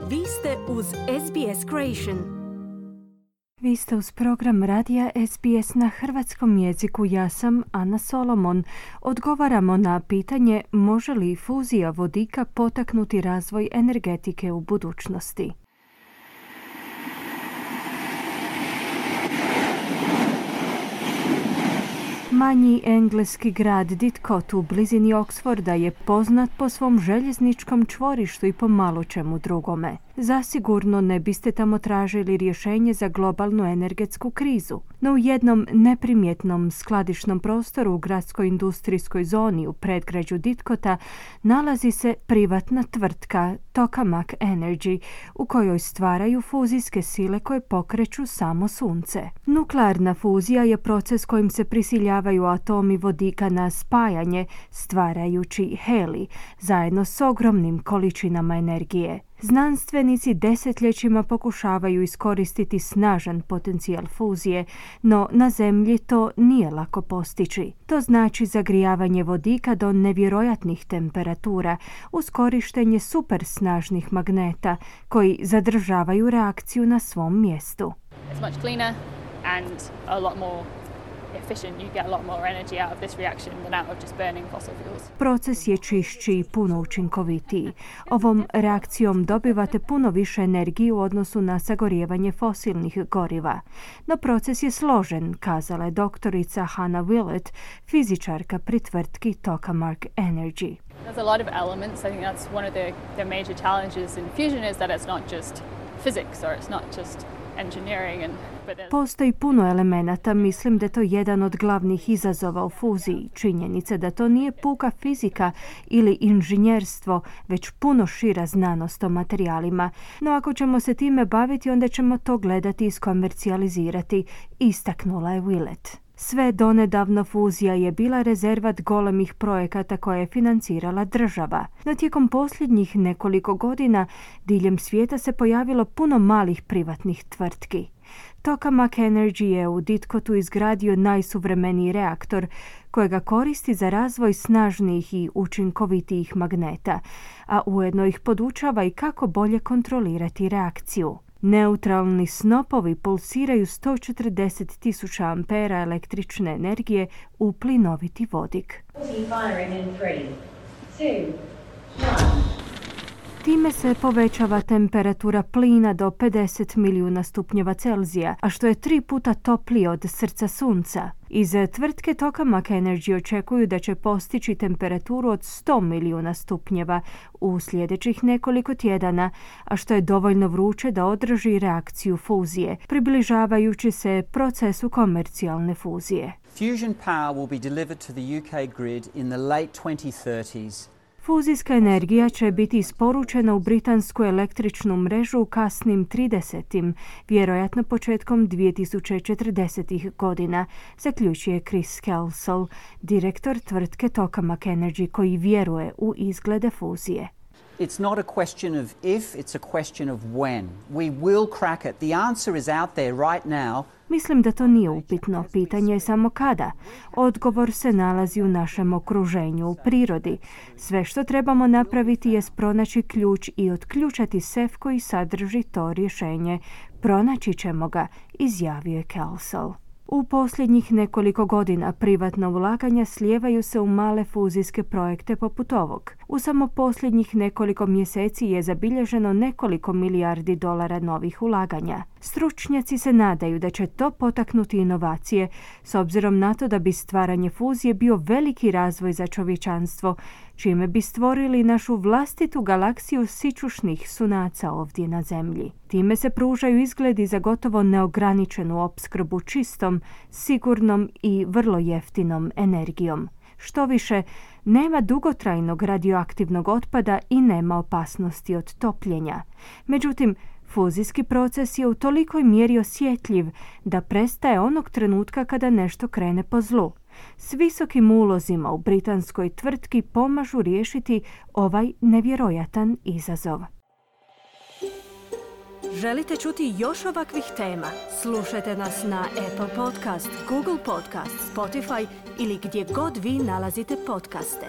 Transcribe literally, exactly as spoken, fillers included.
Vi ste uz S B S Creation. Vi ste uz program radija S B S na hrvatskom jeziku. Ja sam Ana Solomon. Odgovaramo na pitanje može li fuzija vodika potaknuti razvoj energetike u budućnosti. Manji engleski grad Didcot u blizini Oxforda je poznat po svom željezničkom čvorištu i po malo čemu drugome. Zasigurno ne biste tamo tražili rješenje za globalnu energetsku krizu, no u jednom neprimjetnom skladišnom prostoru u gradskoj industrijskoj zoni u predgrađu Didcota nalazi se privatna tvrtka Tokamak Energy, u kojoj stvaraju fuzijske sile koje pokreću samo sunce. Nuklearna fuzija je proces kojim se prisiljavaju atomi vodika na spajanje, stvarajući helij, zajedno s ogromnim količinama energije. Znanstvenici desetljećima pokušavaju iskoristiti snažan potencijal fuzije, no na Zemlji to nije lako postići. To znači zagrijavanje vodika do nevjerojatnih temperatura uz korištenje supersnažnih magneta koji zadržavaju reakciju na svom mjestu. It's much cleaner and a lot more efficient. You get a lot more energy out of this reaction than out of just burning fossil fuels. Proces je čišći i puno učinkovitiji. Ovom reakcijom dobivate puno više energije u odnosu na sagorijevanje fosilnih goriva. No proces je složen, kazala je doktorica Hannah Willett, fizičarka pri tvrtki Tokamak Energy. There's a lot of elements. I think that's one of the, the major challenges in fusion is that it's not just physics or it's not just engineering and Postoji puno elemenata, mislim da je to jedan od glavnih izazova u fuziji. Činjenica da to nije puka fizika ili inženjerstvo, već puno šira znanost o materijalima. No ako ćemo se time baviti, onda ćemo to gledati i iskomercijalizirati, istaknula je Willett. Sve donedavno fuzija je bila rezervat golemih projekata koje je financirala država. No tijekom posljednjih nekoliko godina diljem svijeta se pojavilo puno malih privatnih tvrtki. Tokamak Energy je u Didcotu izgradio najsuvremeniji reaktor kojega koristi za razvoj snažnijih i učinkovitijih magneta, a ujedno ih podučava i kako bolje kontrolirati reakciju. Neutralni snopovi pulsiraju sto četrdeset tisuća ampera električne energije u plinoviti vodik. Time se povećava temperatura plina do pedeset milijuna stupnjeva Celzija, a što je tri puta toplije od srca sunca. Iz tvrtke Tokamak Energy očekuju da će postići temperaturu od sto milijuna stupnjeva u sljedećih nekoliko tjedana, a što je dovoljno vruće da održi reakciju fuzije, približavajući se procesu komercijalne fuzije. Fusion power will be delivered to the U K grid in the late twenty thirties. Fuzijska energija će biti isporučena u britansku električnu mrežu u kasnim tridesetim, vjerojatno početkom dvije tisuće četrdesetih godina, zaključuje Chris Kelsall, direktor tvrtke Tokamak Energy, koji vjeruje u izglede fuzije. It's not a question of if, it's a question of when. We will crack it. The answer is out there right now. Mislim da to nije upitno, pitanje je samo kada. Odgovor se nalazi u našem okruženju, u prirodi. Sve što trebamo napraviti je pronaći ključ i otključati sef koji sadrži to rješenje. Pronaći ćemo ga, izjavio je Kelsall. U posljednjih nekoliko godina privatna ulaganja slijevaju se u male fuzijske projekte poput ovog. U samo posljednjih nekoliko mjeseci je zabilježeno nekoliko milijardi dolara novih ulaganja. Stručnjaci se nadaju da će to potaknuti inovacije, s obzirom na to da bi stvaranje fuzije bio veliki razvoj za čovječanstvo, čime bi stvorili našu vlastitu galaksiju sićušnih sunaca ovdje na Zemlji. Time se pružaju izgledi za gotovo neograničenu opskrbu čistom, sigurnom i vrlo jeftinom energijom. Što više, nema dugotrajnog radioaktivnog otpada i nema opasnosti od topljenja. Međutim, fuzijski proces je u tolikoj mjeri osjetljiv da prestaje onog trenutka kada nešto krene po zlu. S visokim ulozima u britanskoj tvrtki pomažu riješiti ovaj nevjerojatan izazov. Želite čuti još ovakvih tema? Slušajte nas na Apple Podcast, Google Podcast, Spotify ili gdje god vi nalazite podcaste.